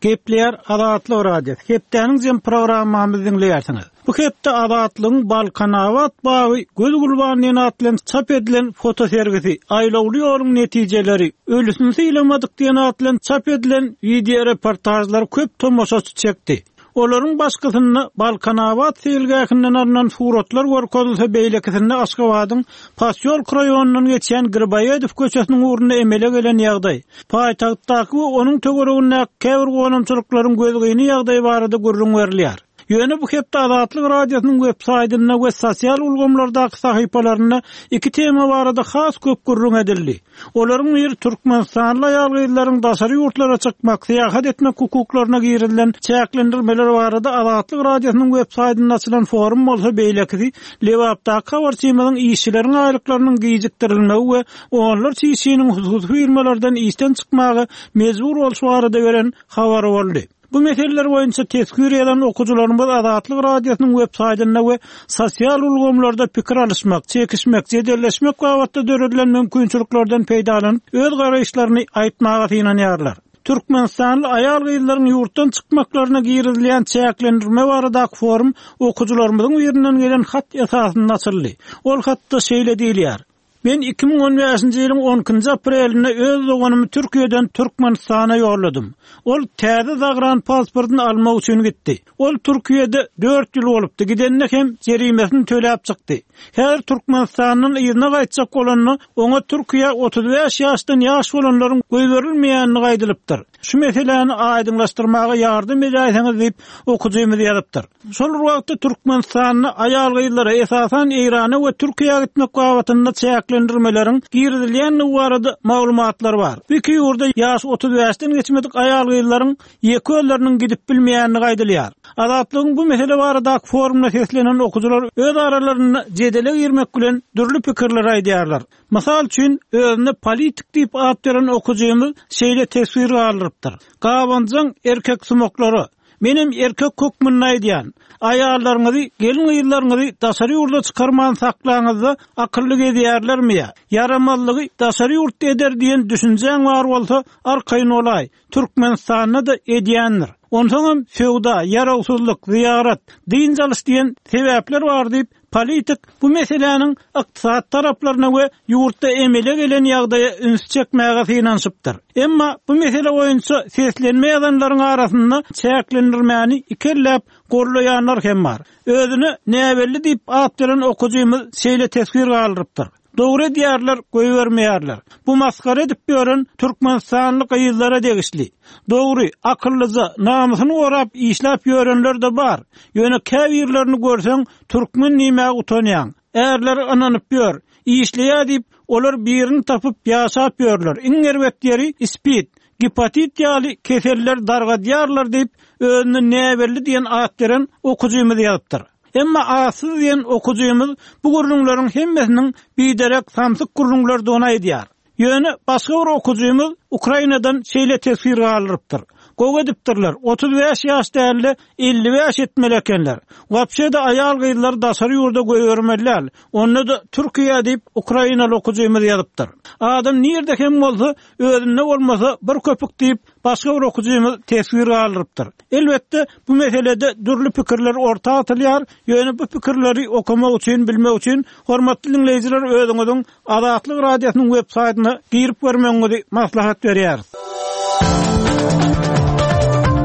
Gepleýär Azatlyk Radiosy. Hepdäniň jem programmamyzy diňleýärsiňiz. Bu hepde Azatlygyň Balkanabat bagy göz gulban diýen at bilen çap edilen fotosergisi, Aýlawly ýoluň netijeleri, Ölüsini sylamadyk diýen at bilen çap edilen wideoreportažlar köp tomaşaçy çekdi. Olaryň başkysynda Balkanabat seýilgähinden alnan suratlar görkezilse, beýlekisinde Aşgabadyň Posýolk raýonyndan geçýän Griboýedow köçesiniň ugrunda emele gelen ýagdaý, paýtagtdaky we onuň töweregindäki käbir gonamçylyklaryň gözgyny ýagdaýy barada gürrüň berilýär. Ýöne bu hepde Azatlyk Radiosynyň websaýtynda we sosial ulgamlardaky sahypalarynda iki tema barada has köp gürrüň edildi. Olaryň biri türkmenistanly aýal-gyzlaryň daşary ýurtlara çykmak, syýahat etmek hukuklaryna girizilen çäklendirmeler barada Azatlyk Radiosynyň websaýtynda açylan forum bolsa, beýlekisi Lebapdaky habarçymyzyň işçileriň aýlyklarynyň gijikdirilmegi we onlarça işçiniň hususy firmalardan işden çykmaga mejbur bolşy barada beren habary boldy. Bu meseleler boýunça teswir ýazan okyjylarymyz Azatlyk Radiosynyň web saýtynda we sosial ulgamlarda pikir alyşmak, çekişmek, jedelleşmek babatda döredilen mümkinçiliklerden peýdalanyp, öz garaýyşlaryny aýtmaga synanýarlar. Türkmenistanly aýal-gyzlaryň ýurtdan çykmaklaryna girizilýän çäklendirme baradaky forum okyjylarymyzyň birinden gelen hat esasynda açyldy. Ol hatda şeýle diýilýär. Men 2015-nji ýylyň on ikinji aprelinde öz doganymy Türkiýeden Türkmenistana ýolladym. Ol täze zagran pasportyny almak üçin gitdi. Ol Türkiýede dört ýyl bolupdy, gidende hem jerimesini töläp çykdy. Häzir Türkmenistandan yzyna gaýtjak bolanda, oňa Türkiýä 35 ýaşdan ýaş bolanlaryň goýberilmeýändigi aýdylypdyr. Şu meseläni aýdyňlaşdyrmaga ýardam edäýseňiz diýip, okyjymyz ýazypdyr. Şol bir wagtda Türkmenistanda aýal-gyzlara, esasan, Eýrana we Türkiýä gitmek babatynda çäklendirmeleriň girizilýändigi barada maglumatlar bar. Bu iki ýurda ýaşy 35-den geçmedik aýal-gyzlaryň ýeke özleriniň gidip bilmeýändigi aýdylýar. Azatlygyň bu mesele baradaky forumyna seslenen okyjylar öz aralarynda jedele girmek bilen dürli pikirleri aýdýarlar. Mysal üçin, özüne politik diýip at beren okyjymyz şeýle teswir galdyrypdyr, Gabanjaň erkeksumaklara, Menem erkek hökmünde aýdýan, aýallaryňyzy, gelin-gyzlaryňyzy daşary ýurda çykarman saklaňyzda akylly gezýärlermi ýa? Ýaramazlygy daşary ýurtda eder diýen düşünjäň bar bolsa, arkaýyn bolaý, Türkmenistanda-da edýändir. Onsoňam söwda, ýarawsyzlyk, zyýarat, dynç alyş diýen sebäpler bar diýip, Politik bu meseläniň ykdysady taraplaryna we ýurtda emele gelen ýagdaýa ünsi çekmäge synanyşypdyr. Emma bu mesele boýunça seslenme ýazanlaryň arasynda çäklendirmäni ikelläp gollaýanlar hem bar. Özüne näbelli diýip at beren okyjymyz şeýle teswir galdyrypdyr. Dogry edýärler goýbermeýärler. Bu masgara edip ýören Türkmenistanly gyzlara degişli. Dogry, akyllyja, namysyny gorap işläp ýörenler-de bar. Ýöne käbirlerini görseň türkmen diýmäge utanýaň. Ärleri ynanyp ýör. Işleýär diýip, olar birini tapyp ýaşap ýörler. Iň erbet ýeri spid, gipatit ýaly keseller dargadýarlar diýip, özüne näbelli diýen at beren okyjymyz ýazypdyr. Emma atsyz diýen okyjymyz bu gürrüňleriň hemmesiniň biderek samsyk gürrüňlerdigini aýdýar. Ýöne başga bir okyjymyz Ukrainadan şeýle teswir galdyrypdyr, Gowy edipdirler, 35 ýaş dälde 55 etmeli ekenler. Wapşe-de aýal-gyzlary daşary ýurda goýbermeli däl, onda-da Türkiýä diýip ukrainaly okyjymyz ýazypdyr. Adam nirde hem bolsa özünde bolmasa bir köpük diýip Başga bir okyjymyz teswir galdyrypdyr. Elbetde, bu meselede dürli pikirler orta atylýar, ýöne bu pikirleri okamak üçin, bilmek üçin, hormatly diňleýjiler özüňiziň Azatlyk Radiosynyň web saýtyna girip görmegiňizi maslahat berýäris.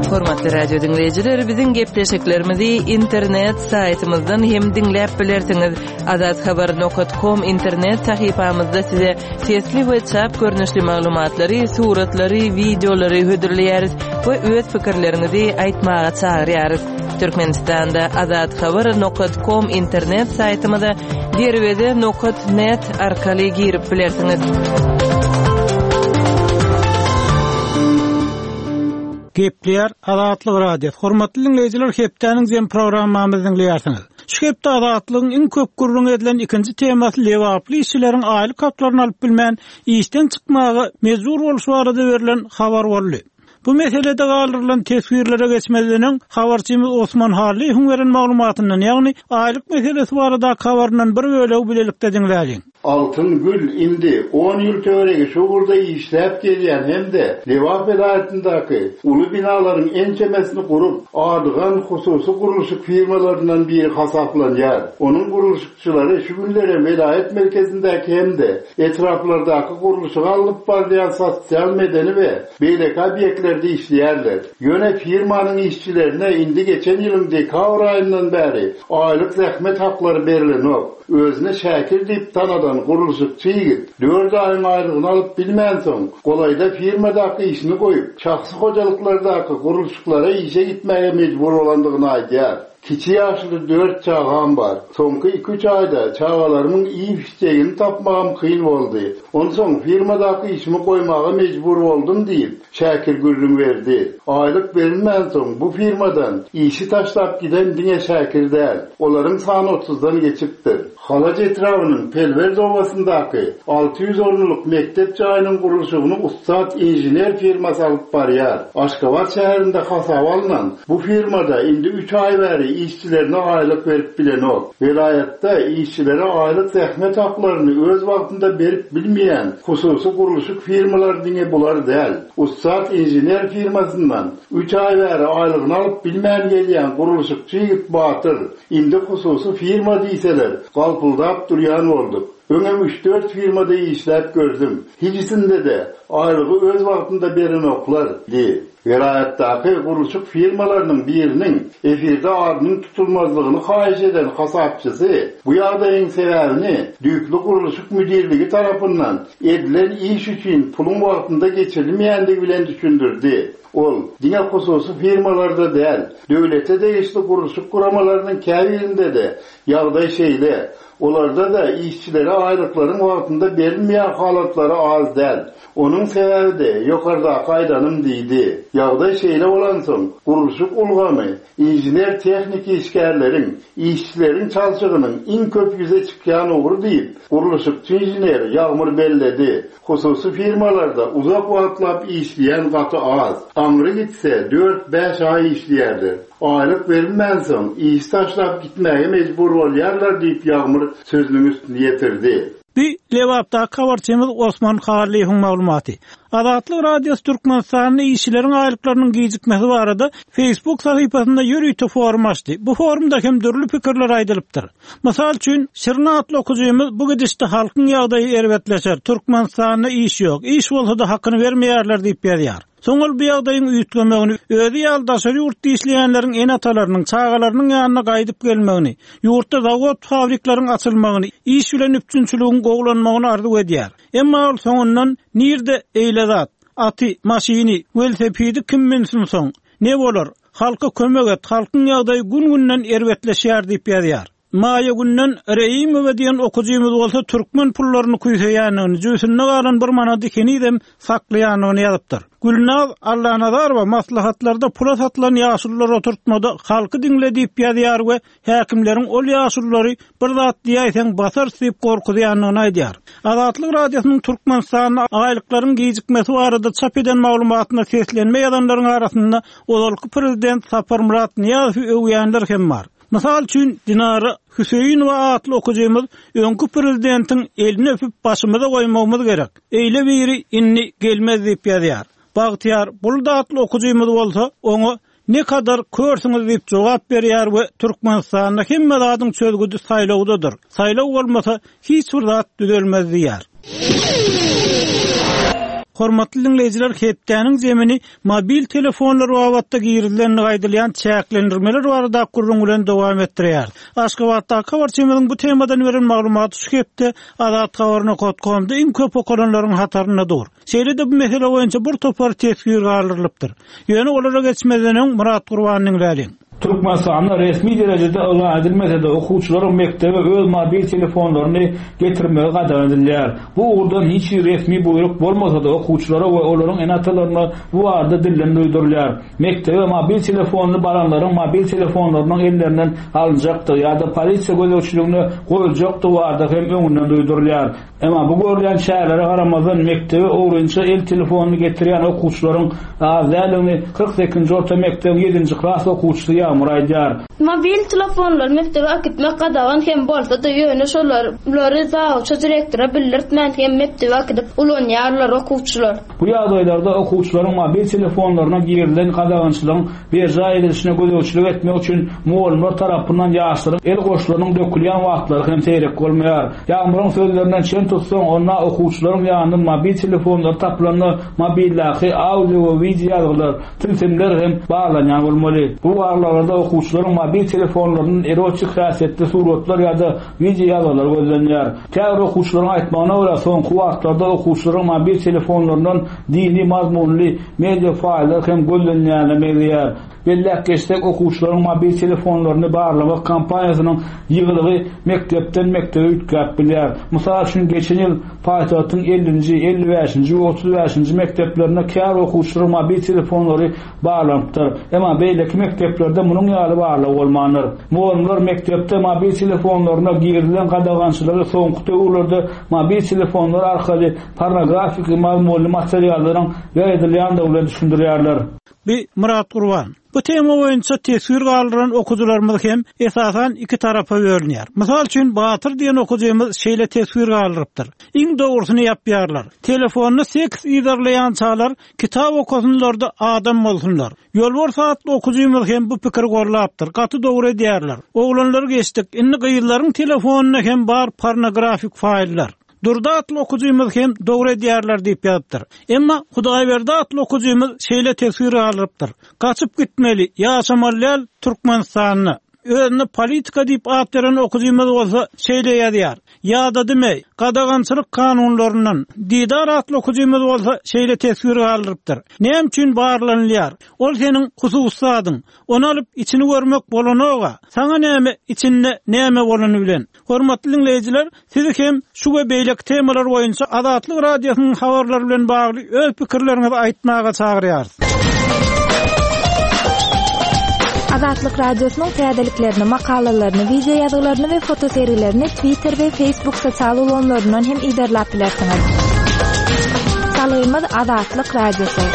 Hormatly radio diňleýjiler, biziň gepleşiklerimizi internet saýtymyzdan hem diňläp bilersiňiz. Azathabar nokat kom internet sahypamyzda size Sesli we çap görnüşli maglumatlary, suratlary, wideolary hödürleýäris we öz pikirleriňizi aýtmaga çagyrýarys. Türkmenistanda Azat Habar nokat kom internet saýtymyza derweze nokat net arkaly girip bilersiňiz. Gepleýär Azatlyk Radiosy. Hormatly diňleýjiler hepdäniň jem programmamyzy diňleýärsiňiz. Şu hepde Azatlygyň iň köp gürrüňi edilen ikinji temasy lebaply işçileriň aýlyk haklaryny alyp bilmän, işden çykmaga mejbur bolşy barada berlen habar boldy. Bu meselede galdyrylan teswirlere geçmezden öň, habarçymyz Osman Hallyýewiň beren maglumatyndan, ýagny aýlyk meselesi baradaky habaryndan bir bölegi bilelikde diňläliň. Altyn Gül indi on ýyl töweregi şu ugurda işläp gelýän hem-de Lebap welaýatyndaky uly binalaryň ençemesini gurup, adygan hususy gurluşyk firmalaryndan biri hasaplanýar. Onuň gurluşykçylary şu günlerem welaýat merkezindäki hem-de etraplardaky gurluşygy alnyp barylýan sosial-medeni we beýleki obýektlerde işleýärler. Ýöne firmanyň işçilerine indi geçen ýylyň dekabr aýyndan bäri aýlyk zähmet haklary berlenok. Özüni Şäkir diýip tanadan gurluşykçy ýigit dört aýyň aýlygyny alyp bilmänsoň, golaýda firmadaky işini goýup, şahsy hojalyklardaky gurluşyklara işe gitmäge mejbur bolandygyny aýdýar. Kiçi ýaşly dört çagam bar. Soňky iki-üç aýda çagalarymyň iýip-içjegini tapmagam kyn boldy. Onsoň firmadaky işimi goýmaga mejbur boldum diýip, Şäkir gürrüň berdi. Aýlyk berilmänsoň, bu firmadan işi taşlap giden diňe Şäkir däl. Olaryň sany otuzdan geçipdir. Halaç etrabynyň Pelwert obasyndaky 600 orunlyk mekdep jaýynyň gurluşygyny Ussat inžener firmasy alyp barýar. Aşgabat şäherinde hasaba alnan bu firma-da indi üç aý bäri işçilerine aýlyk berip bilenok. Welaýatda işçilere aýlyk zähmet haklaryny öz wagtynda berip bilmeýän hususy gurluşyk firmalary diňe bular däl. Ussat inžener firmasyndan üç aý bäri aýlygyny alyp bilmän gelýän gurluşykçy ýigit Batyr, Indi hususy firma diýseler, galpyldap durýan bolduk. Öňem üç-dört firmada işläp gördüm. Hijisinde-de aýlygy öz wagtynda berenoklar, diýdi. Welaýatdaky gurluşyk firmalarynyň biriniň efirde adynyň tutulmazlygyny haýyş eden hasapçysy bu ýagdaýyň sebäbini düýpli gurluşyk müdirligi tarapyndan edilen iş üçin puluň wagtynda geçirilmeýändigi bilen düşündirdi. Ol, diňe hususy firmalarda däl, döwlete degişli gurluşyk guramalarynyň käbirinde-de ýagdaý şeýle. Olarda-da işçilere aýlyklaryň wagtynda berilmeýän halatlary az däl. Onuň sebäbi-de ýokardaky aýdanym diýdi. Ýagdaý şeýle bolansoň, gurluşyk ulgamy inžener-tehniki işgärleriň, işçileriň çalşygynyň iň köp ýüze çykýan ugry diýip, gurluşykçy inžener Ýagmyr belledi. Hususy firmalarda uzak wagtlap işleýän gaty az. Aňry gitse, dört-bäş aý işleýärler. Aýlyk berilmänsoň, işi taşlap gitmäge mejbur bolýarlar diýip, Ýagmyr sözüniň üstüni ýetirdi. Bu Lebapdaky habarçymyz Osman Hallyýewiň maglumaty. Azatlyk Radiosy Türkmenistanda işçileriň aýlyklarynyň gijikmesi barada Facebook sahypasynda ýörite forum açdy. Bu forumda hem dürli pikirler aýdylypdyr. Mysal üçin, Şirin atly okyjymyz bu gidişde halkyň ýagdaýy erbetleşer, Türkmenistanda iş ýok, iş bolsa-da hakyny bermeýärler diýip ýazýar. Soň ol bu ýagdaýyň üýtgemegini, özi ýaly daşary ýurtda işleýänleriň ene-atalarynyň, çagalarynyň ýanyna gaýdyp gelmegini, ýurtda zawod-fabrikleriň açylmagyny, iş bilen üpjünçiligiň gowulanmagyny arzuw edýär. Emma ol soňundan Nirde eýle zat? Aty, maşyny, welosipedi kim münsün soň? Ne bolar? Halka kömek et, halkyň ýagdaýy gün-günden erbetleşýär diýip ýazýar. Maýa Günden Reýimowa diýen okyjymyz bolsa türkmen pullaryny küýseýändigini, jübüsinde galan bir manady henizem saklaýandygyny ýazypdyr. Gülnaz Allanazarowa maslahatlarda pula satylan ýaşulular oturtmada halky diňle diýip ýazýar we häkimleriň ol ýaşululary bir zat diýäýseň basarys diýip gorkuzýandygyny aýdýar. Azatlyk Radiosynyň Türkmenistanda aýlyklaryň gijikmesi barada çap eden maglumatyna seslenme ýazanlaryň arasynda ozalky prezident Saparmyrat Nyýazowy öwýänler hem bar. Mysal üçin, Dinara Hüseýinowa atly okyjymyz öňki prezidentiň elini öpüp başymyza goýmagymyz gerek. Eýle biri indi gelmez diýip ýazýar. Bagtyýar Bulut atly okyjymyz bolsa oňa Ne kadar körsüňiz diýip jogap berýär we Türkmenistanda hemme zadyň çözgüdi saýlawdadyr. Saýlaw bolmasa hiç bir zat düzelmez diýýär. Hormatly diňleýjiler hepdäniň zemini mobil telefonlar babatda girizilendigi aýdylýan çäklendirmeler baradaky gürrüň bilen dowam etdirýäris. Aşgabatdaky habarçymyzyň bu temadan beren maglumaty şu hepde azathabar nokat komda iň köp okalanlaryň hatarynda dur. Şeýle-de bu mesele boýunça bir topar teswir galdyrylypdyr. Ýöne olara geçmezden öň Myrat Gurbany diňläliň. Türkmenistanda resmi derejede yglan edilmese-de, okuwçylaryň mekdebe öz mobil telefonlaryny getirmegi gadagan edilýär. Bu ugurdan hiç hili resmi buýruk bolmasa-da, okuwçylara we olaryň ene-atalaryna bu barada dilden duýdurylýar. Mekdebe mobil telefonly baranlaryň mobil telefonlarynyň ellerinden alynjakdygy ýa-da polisiýa gözegçiligine goýuljakdygy barada hem öňünden duýdurylýar. Emma bu görülýän çärelere garamazdan, mekdebe ogrynça el telefonyny getirýän okuwçylaryň az däldigini 48-nji orta mekdebiň ýedinji klas okuwçysy Ýagmyr aýdýar. Mobil telefonlary mekdebe äkitmek gadagan hem bolsa-da, ýöne şolary zawuça direktora bildirtmän hem mekdebe äkidip ulanýarlar okuwçylar. Bu ýagdaýlarda okuwçylaryň mobil telefonlaryna girizilen gadagançylygyň berjaý edilişine gözegçilik etmek üçin mugallymlar tarapyndan ýaşlaryň el goşlarynyň dökülýän wagtlary hem seýrek bolmaýar. Ýagmyryň sözlerinden çen tutsaň, onda okuwçylaryň ýanyndan mobil telefonlary tapylanda mobildäki audio we wideo ýazgylar, tilsimler hem barlanýan bolmaly. Bu barlaglarda okuwçylaryň mobil telefonlaryndan erotik häsiýetli suratlar ýa-da wideo ýazgylar gözlenýär. Käbir okuwçylaryň aýtmagyna görä, soňky wagtlarda okuwçylaryň mobil telefonlaryndan dini mazmunly media faýllar hem gözlenýäne meňzeýär. Belläp geçsek, okuwçylaryň mobil telefonlaryny barlamak kampaniýasynyň ýygylygy mekdepden-mekdebe üýtgäp bilýär. Mysal üçin, geçen ýyl paýtagtyň ellinji, 55-nji we 35-nji mekdeplerinde käbir okuwçylaryň mobil telefonlary barlanypdyr. Emma beýleki mekdeplerde munuň ýaly barlag bolmandyr. Mugallymlar mekdepde mobil telefonlaryna girizilen gadagançylygy soňky döwürlerde mobil telefonlar arkaly pornografiki mazmunly materiallaryň ýaýradylýandygy bilen düşündirýärler. Bi Myrat Gurban. Bu tema boýunça teswir galdyran okyjylarymyz hem esasan iki tarapa bölünýär. Mysal üçin Batyr diýen okyjymyz şeýle teswir galdyrypdyr. Iň dogrusyny ýapýarlar. Telefonda seks yzarlaýançalar Kitap okasynlarda adam bolsunlar. Ýolbars atly okyjymyz hem bu pikiri gollapdyr. Gaty dogry edýärler. Oglanlary geçdik, indi gyzlaryň telefonynda hem bar pornografik faýllar. Durdy atly okyjymyz hem dogry edýärler diýip ýazypdyr. Emma Hudaýberdi atly okyjymyz şeýle teswir galdyrypdyr. Gaçyp gitmeli, ýaşamaly däl Türkmenistanda. Özüne politika diýip at beren okyjymyz bolsa şeýle ýazýar, Ýadadym-eý, gadagançylyk kanunlaryndan. Didar atly okyjymyz bolsa şeýle teswir galdyrypdyr, Näme üçin barlanylýar? Ol seniň hususy zadyň. Ony alyp içini görmek bolanok-a. Saňa näme içinde näme bolany bilen. Hormatly diňleýjiler, sizi hem şu we beýleki temalar boýunça Azatlyk Radiosynyň habarlary bilen bagly öz pikirleriňizi aýtmaga çagyrýarys. Azatlyk Radiosynyň täzeliklerini, makalalaryny, wideo ýazgylaryny we fotosergilerini Twitter we Facebook sosial ulgamlaryndan hem yzarlap bilersiňiz. Salgymyz Azatlyk Radiosy.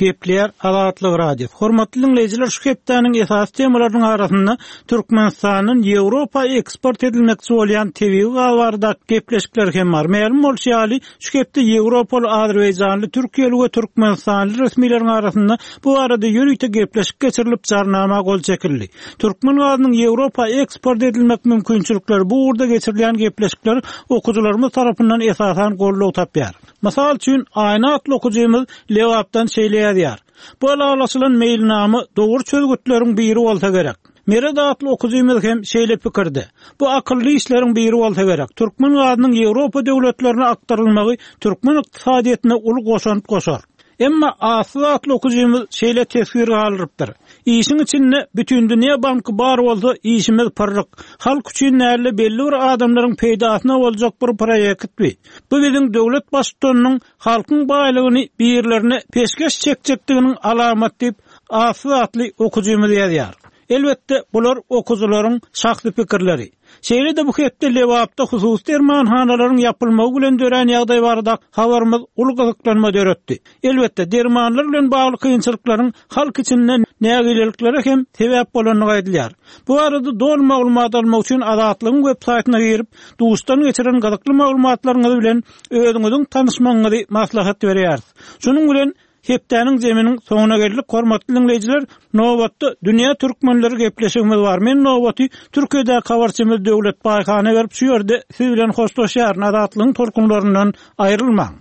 Gepleýär Azatlyk Radiosy. Hormatly diňleýjiler, şu hepdäniň esasy temalarynyň arasynda Türkmenistandan Ýewropa eksport edilmekçi bolýan tebigy gaz baradaky gepleşikler hem bar. Mälim bolşy ýaly, şu hepde ýewropaly, azerbaýjanly, türkiýeli we türkmenistanly resmileriň arasynda bu barada ýörite gepleşik geçirilip, jarnama gol çekildi. Türkmen gazynyň Ýewropa eksport edilmek mümkinçilikleri bu ugurda geçirilýän gepleşikler okyjylarymyz tarapyndan esasan goldaw tapýar. Mysal üçin, Aýna atly okyjymyz Lebapdan şeýle ýazýar, Bu ylalaşylan meýilnama dogry çözgütleriň biri bolsa gerek. Meret atly okyjymyz hem şeýle pikirde, Bu akylly işleriň biri bolsa gerek. Türkmen gazynyň Ýewropa döwletlerine akdyrylmagy türkmen ykdysadyýetine uly goşant goşar. Emma Atsyz atly okyjymyz şeýle teswir galdyrypdyr, Işiň içinde Bütindünýä banky bar bolsa işimiz pyrryk. Halk üçin dälde belli bir adamlaryň peýdasyna boljak bir proýekt bi. Bu biziň döwlet baştutanynyň halkyň baýlygyny birlerine peşgeş çekjekdiginiň alamaty diýip, Atsyz atly okyjymyz ýazýar. Elbetde, bular okyjylaryň şahsy pikirleri. Şeýle-de bu hepde Lebapda hususy dermanhanalaryň ýapylmagy bilen dörän ýagdaý barada habarymyz uly gyzyklanma döretdi. Elbetde, dermanlar bilen bagly kynçylyklaryň halk içinde nägileliklere hem sebäp bolandygy aýdylýar. Bu barada doly maglumat almak üçin Azatlygyň web saýtyna girip, duşdan geçiren gyzykly maglumatlaryňyz bilen özüňiziň tanyşmagyňyzy maslahat berýäris. Şunuň bilen, hepdäniň zeminiň soňuna geldik, hormatly diňleýjiler, nobatda Dünýä türkmenleri gepleşigimiz bar. Men nobaty Türkiýedäki habarçymyz Döwlet Baýhana berip, şu ýerde siz bilen hoşlaşýaryn. Azatlygyň tolkunlaryndan aýrylmaň!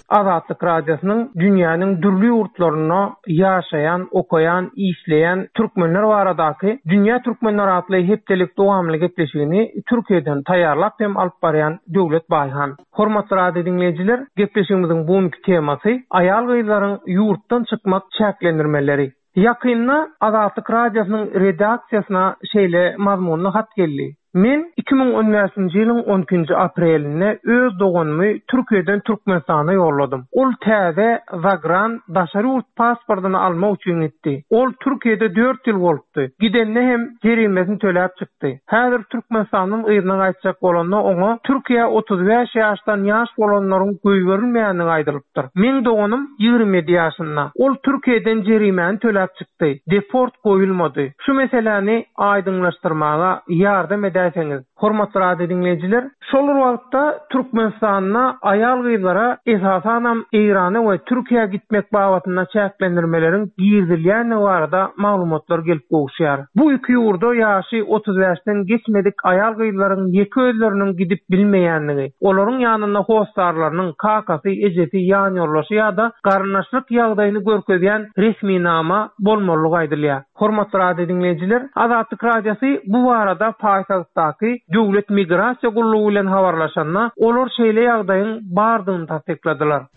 Azatlyk Radiosynyň dünýäniň dürli ýurtlarynda ýaşaýan, okaýan, işleýän türkmenler baradaky Dünýä türkmenleri atly hepdelik dowamly gepleşigini Türkiýeden taýýarlap hem alyp barýan Döwlet Baýhan. Hormatly radio diňleýjiler, gepleşigimiziň bu günki temasy aýal-gyzlaryň ýurtdan çykmak çäklendirmeleri. Ýakynda Azatlyk Radiosynyň redaksiýasyna şeýle mazmunly hat geldi, Men 2015-nji ýylyň on ikinji aprelinde öz doganymy Türkiýeden Türkmenistana ýolladym. Ol täze zagran daşary ýurt pasportyny almak üçin gitdi. Ol Türkiýede dört ýyl bolupdy. Gidende hem jerimesini töläp çykdy. Häzir Türkmenistandan yzyna gaýtjak bolanda oňa Türkiýä 35 ýaşdan ýaş bolanlaryň goýberilmeýändigi aýdylypdyr. Meň doganym 27 ýaşynda. Ol Türkiýeden jerimäni töläp çykdy. Deport goýulmady. Şu meseläni aýdyňlaşdyrmaga ýardam edäýseňiz. Hormatly radio diňleýjiler, şol bir wagtda Türkmenistanda aýal-gyzlara esasanam Eýrana we Türkiýä gitmek babatynda çäklendirmeleriň girizilýändigi barada maglumatlar gelip gowuşýar. Bu iki ýurda ýaşy 35-den geçmedik aýal-gyzlaryň ýeke özleriniň gidip bilmeýändigi, olaryň ýanynda hossarlarynyň, kakasy, ejesi, ýanýoldaşy ýa-da garyndaşlyk ýagdaýyny görkezýän resminama bolmalydygy aýdylýar. Hormatly radio diňleýjiler, Azatlyk Radiosy bu barada paýtagtdaky Döwlet migrasiýa gullugy bilen habarlaşanda, olar şeýle ýagdaýyň bardygyny tassykladylar.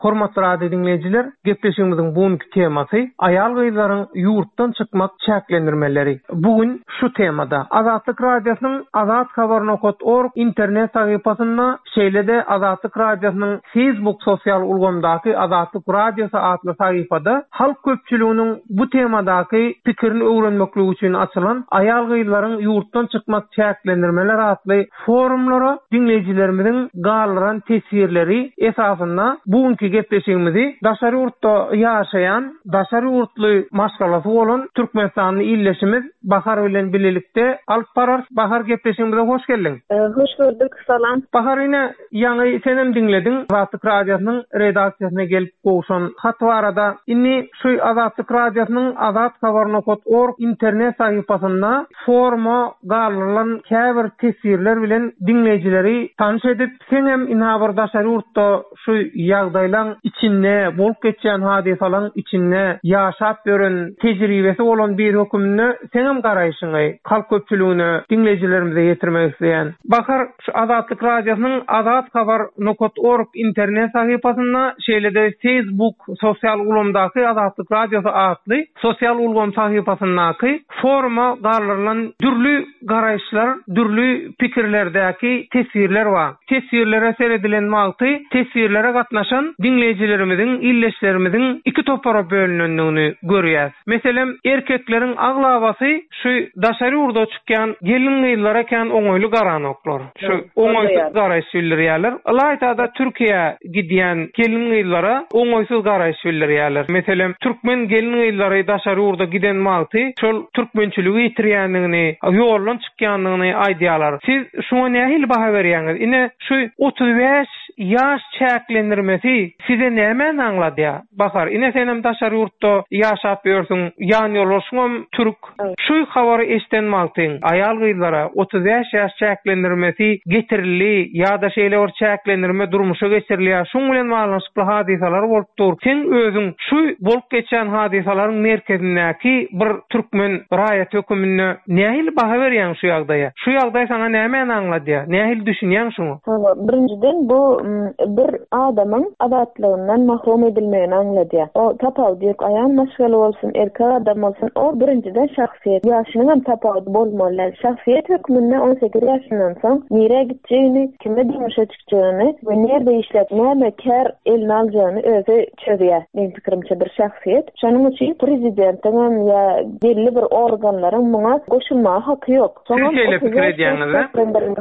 Hormatly radio diňleýjiler, gepleşigimiziň bu günki temasy aýal-gyzlaryň ýurtdan çykmak çäklendirmeleri. Bu gün şu temada Azatlyk Radiosynyň Azathabar nokat org internet sahypasynda Şeýle-de Azatlyk Radiosynyň Facebook sosial ulgamdaky Azatlyk Radiosy atly sahypada halk köpçüliginiň bu temadaky pikirini öwrenmekligi üçin açylan Aýal-gyzlaryň ýurtdan çykmak çäklendirmeler atly forumlara diňleýjilerimiziň galdyran teswirleri esasynda bu günki gepleşigimizi daşary ýurtda ýaşaýan, daşary ýurtly maşgalasy bolan türkmenistanly ildeşimiz Bahar bilen bilelikde alyp bararys. Bahar gepleşigimize hoş geldiň. Hoş gördük. Salam. Bahar ine ýaňy senem diňlediň Azatlyk Radiosynyň redaksiýasyna gelip gowşan hat barada. Indi şu Azatlyk Radiosynyň Azathabar nokat org internet sahypasynda foruma galdyrylan käbir teswirler bilen diňleýjileri tanyş edip, seňem ynha bir daşary ýurtda şu ýagdaýlaň içinde, bolup geçýän hadysalaň içinde ýaşap ýören, tejribesi bolan biri höküminde seňem garaýşyňy halk köpçüligine, diňleýjilerimize ýetirmek isleýän. Bahar, şu Azatlyk Radiosynyň Azathabar nokat org internet sahypasynda, şeýle-de Facebook sosial ulgamdaky Azatlyk Radiosy atly sosial ulgam sahypasyndaky foruma galdyrylan dürli garaýyşlar, dürli pikirlerdäki teswirler bar. Teswirlere seredilen wagty teswirlere gatnaşan diňleýjilerimiziň, ildeşlerimiziň iki topara bölünendigini görýäs. Meselem, erkekleriň aglabasy şu daşary ýurda çykýan gelin-gyzlara kän oňaýly garanoklar. Şu oňaýsyz garaýyş bildirýärler. Ylaýta-da Türkiýä gidýän gelin-gyzlara oňaýsyz garaýyş bildirýärler. Meselem, türkmen gelin-gyzlary daşary ýurda giden wagty şol türkmençiligi ýitirýändigini, ýoldan çykýandygyny aýdýarlar. Siz şuňa nähili baha berýäňiz? Ine, şu 35 ýaş çäklendirmesi size nämäni aňladýar? Bahar, ine senem daşary ýurtda ýaşap ýörsüň, ýanýoldaşyňam türk. Şu habary eşden wagtyň, aýal-gyzlara 35 ýaş çäklendirmesi getirildi ýa-da şeýle bir çäklendirme durmuşa geçirilýär, şuň bilen baglanyşykly hadysalar bolup dur. Seň özüň şu bolup geçýän hadysalaryň merkezindäki bir türkmen raýaty höküminde nähili baha berýäň şu ýagdaýa? Şu ýagdaý saňa nämäni aňladýar? Nähili düşünýäň şuňa? Hawa, birinjiden bu bir adamyň azatlygyndan mahrum edilmegini aňladýar. O tapawudy ýok, aýal maşgala bolsun, erkek adam bolsun, o birinjiden şahsyýet. Ýaşynyňam tapawudy bolmaly däl. Şahsyýet hökmünde 18 ýaşyndan soň nirä gitjegini, kime durmuşa çykjagyny we nirde işläp, näme kär eline aljagyny özi çözýär, meň pikirimçe bir şahsyýet. Şonuň üçin prezidentiňem ýa belli bir organlaryň muňa goşulmaga haky ýok. Siz şeýle pikir edýäňiz-ä?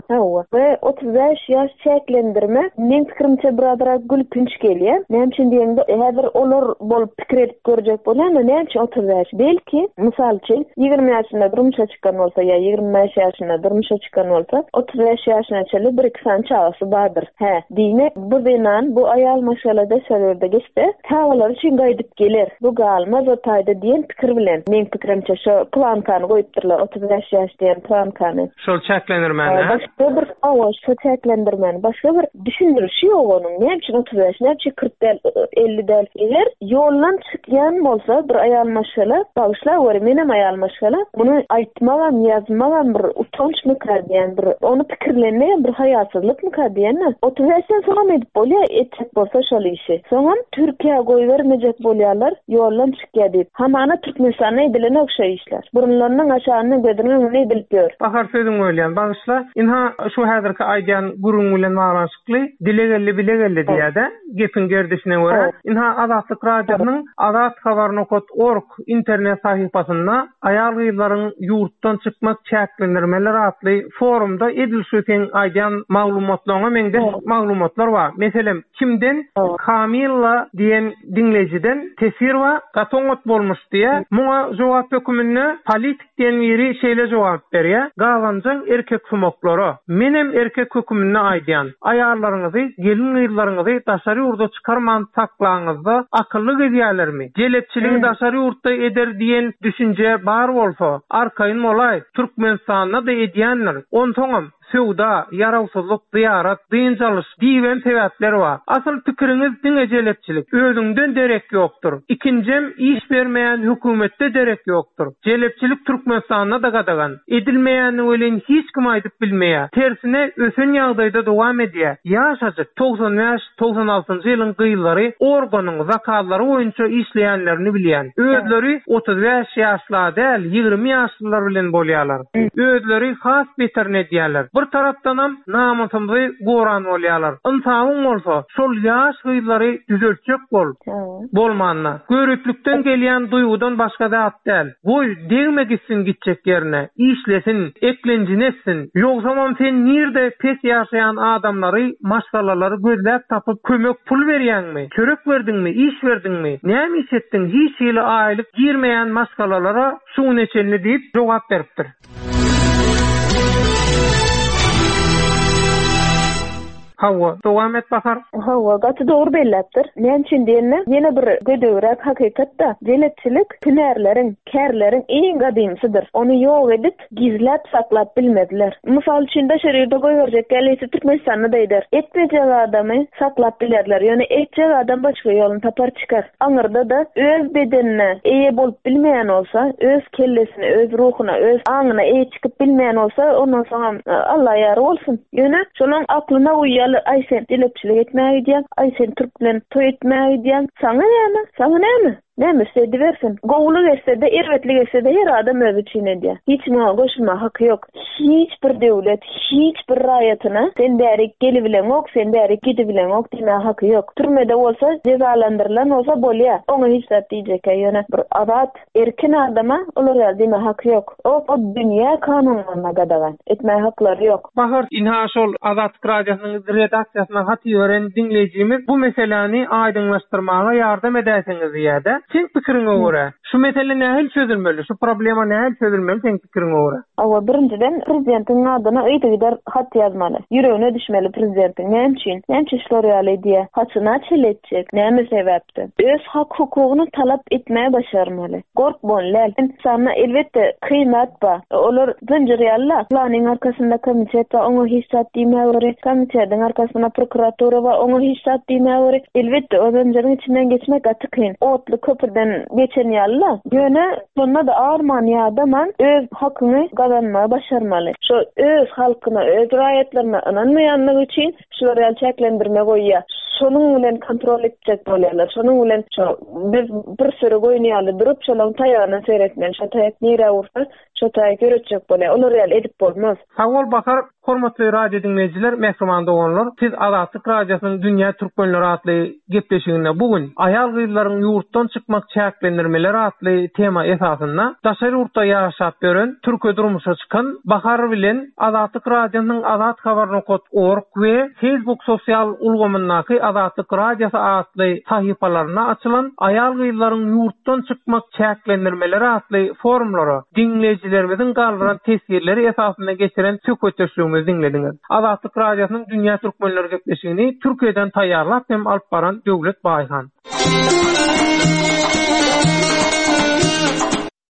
Hawa. We 35 ýaş çäklendirme, meň pikirimçe, birazrak gülkünç gelýär. gelýär. Näme üçin diýeňde, häzir olar bolup pikir edip görjek bolýan-da, näme üçin 35? Belki, mysal üçin, 20 ýaşynda durmuşa çykan bolsa ýa 25 ýaşynda durmuşa çykan bolsa, 35 ýaşyna çenli bir-iki sany çagasy bardyr. Hä, diýmek, bu zenan, bu aýal maşgala daşary ýurda gitse, çagalary üçin gaýdyp geler, bu galmaz o taýda diýen pikir bilen, meň pikirimçe, şo plankany goýupdyrlar, 35 ýaş diýen plankany. Şol çäklendirmäni, hä? Başga bir, hawa, şo çäklendirmäni. Başga bir düşündirişi ýok onuň. Näme üçin 35, näme üçin 40 däl, 50 däl? Eger ýoldan çykýan bolsa bir aýal maşgala, bagyşlaweri, menem aýal maşgala, muny aýtmagam, ýazmagam bir utançmyka diýen, bir ony pikirlenmegem bir haýasyzlykmyka diýen-de. 35-den soňam edip bolýar, etjek bolsa şol işi. Soňam Türkiýä goýbermejek bolýarlar, ýoldan çykýar diýip. Hamana Türkmenistanda edilenok şo işler. Burunlarynyň aşagynda gözüniň öňünde edilip ýör. Bahar sözüňi bölýän, bagyşla. Ynha, şu häzirki aýdýan gürrüň bilen baglanyşykly dile geldi bile geldi diýýä-dä, gepiň gerdişine görä. Ynha, Azatlyk Radiosynyň Azat Habar nokat org internet sahypasynda Aýal-gyzlaryň ýurtdan çykmak çäklendirmeleri atly forumda edil şu seň aýdýan maglumatlaryňa meňzeş maglumatlar bar. Meselem, Kimden? Kamilla diýen diňleýjiden teswir bar, gaty oňat bolmuş diýýär. Muňa jogap höküminde Politik diýen biri şeýle jogap berýär, Gabanjaň erkeksumaklara, menem erkek höküminde aýdýan, aýallaryňyzy, gelin-gyzlaryňyzy daşary ýurda çykarman saklaňyzda akylly gezýälermi? Jelepçiligi daşary ýurtda eder diýen düşünje bar bolsa, arkaýyn bolaý, Türkmenistanda-da edýändir. Onsoňam, Söwda, ýarawsyzlyk, zyýarat, dynç alyş diýibem sebäpler bar. Asyl pikiriňiz diňe jelepçilik. Özüňden derek ýokdur. Ikinjem iş bermeýän hökümetde derek ýokdur. Jelepçilik Türkmenistanda-da gadagan. Edilmeýänini welin hiç kim aýdyp bilmeýär. Tersine ösen ýagdaýda dowam edýär. Ýaşajyk, 95, 96-njy ýylyň gyzlary organyň zakazlary boýunça işleýänlerini bilýän. Özleri 35 ýaşla däl, 20 ýaşlylar bilen bolýarlar. Özleri has beterini edýärler. Bir tarapdanam namysymyzy goran bolýarlar. Ynsabyň bolsa, şol ýaş gyzlary düzeltjek bol. Bolmanda. Göriplikden gelýän duýgudan başga zat däl. Goý, degme gitsin gitjek ýerine, işlesin, eklenjini etsin. Ýogsamam sen nirde pes ýaşaýan adamlary, maşgalalary gözläp tapyp kömek pul berýäňmi? Çörek berdiňmi, iş berdiňmi? Näme iş etdiň hiç hili aýlyk girmeýän maşgalalara şu güne çenli diýip jogap beripdir. Hawa, dowam et Bahar. Hawa, gaty dogry belläpdir. Näme üçin diýende, ýene bir gödegräk hakykat-da, jelepçilik hünärleriň, kärleriň iň gadymysydyr. Ony ýok edip, gizläp saklap bilmezler. Mysal üçin, daşary ýurda goýberjek gälisi Türkmenistanda-da eder. Etmejek adamy saklap bilerler, ýöne etjek adam başga ýoluny tapar çykar. Aňyrda-da öz bedenine eýe bolup bilmeýän bolsa, öz kellesine, öz ruhuna, öz aňyna eýe çykyp bilmeýän bolsa, ondan soňam Alla ýary bolsun. Ýöne şolaň aklyna guýýarlar, aý sen jelepçilik etmäge gidýäň, aý sen türk bilen toý etmäge gidýäň, saňa näme, saňa näme? Näme etse edibersin. Gowulyk etse-de, erbetlik etse-de her adam özi üçin edýär. Hiç kimiň oňa goşulmaga haky ýok. Hiç bir döwlet, hiç bir raýatyna sen bärik gelibileňok, sen bärik gidibileňok diýmäge haky ýok. Türmede bolsa, jezalandyrylan bolsa bolýar. Oňa hiç zat diýjek-ä ýöne bir azat, erkin adama olar ýaly diýmäge haky ýok. O o dünýä kanunlaryna gadagan. Etmäge haklary ýok. Bahar, ynha şol Azatlyk Radiosynyň redaksiýasyna hat iberen diňleýjimiz bu meseläni aýdyňlaşdyrmaga ýardam edäýseňiz diýýär-de. Seň pikiriňe görä, şu mesele nähili çözülmeli? Şu problema nähili çözülmeli seň pikiriňe görä? Hawa, birinjiden prezidentiň adyna yzygider hat ýazmaly. Ýüregine düşmeli prezidentiň. Näme üçin? Näme üçin şular ýaly edýär? Haçana çenli etjek? Näme sebäpden? Öz hak-hukugyny talap etmäge başarmaly. Gorkmaly däl. Ynsanda elbetde kyn zat bar. Olar zynjyr ýaly-la. Planyň arkasynda komitet bar, oňa hiç zat diýmäweri. Komitetiň arkasynda prokuratura bar, oňa hiç zat diýmäweri. Elbetde, o zynjyryň içinden geçmek gaty kyn. Otly köprüden geçen ýaly-la. Ýöne şonda-da arman-ýadaman öz hakyňy gazanmagy başarmaly. Şo öz halkyna, öz raýatlaryna ynanmaýanlygy üçin Şular ýaly çäklendirme goýýar. Şonuň bilen kontrol etjek bolýarlar. Şonuň bilen şo biz bir süri goýun ýaly durup, şolaryň taýagyna seretmeli. Şo taýak nirä ursa, şo taýak ýöretjek bolýar. Olar ýaly edip bolmaz. Sag bol Bahar! Hormatly radio diňleýjiler, mähriban doganlar, siz Azatlyk Radiosynyň Dünýä Türkmenleri atly gepleşiginde bu gün Aýal-gyzlaryň ýurtdan çykmak çäklendirmeleri atly tema esasynda daşary ýurtda ýaşap ýören, türke durmuşa çykan Bahar bilen Azatlyk Radiosynyň Azat Habar nokat org we Facebook sosial ulgamyndaky. Azatlyk Radiosy atly sahypalarynda açylan Aýal-gyzlaryň ýurtdan çykmak çäklendirmeleri atly forumlara diňleýjilerimiziň galdyran teswirleri esasynda geçiren söhbetdeşligimizi diňlediňiz. Azatlyk Radiosynyň Dünýä Türkmenleri gepleşigini Türkiýeden taýýarlap hem alyp baran Döwlet Baýhan.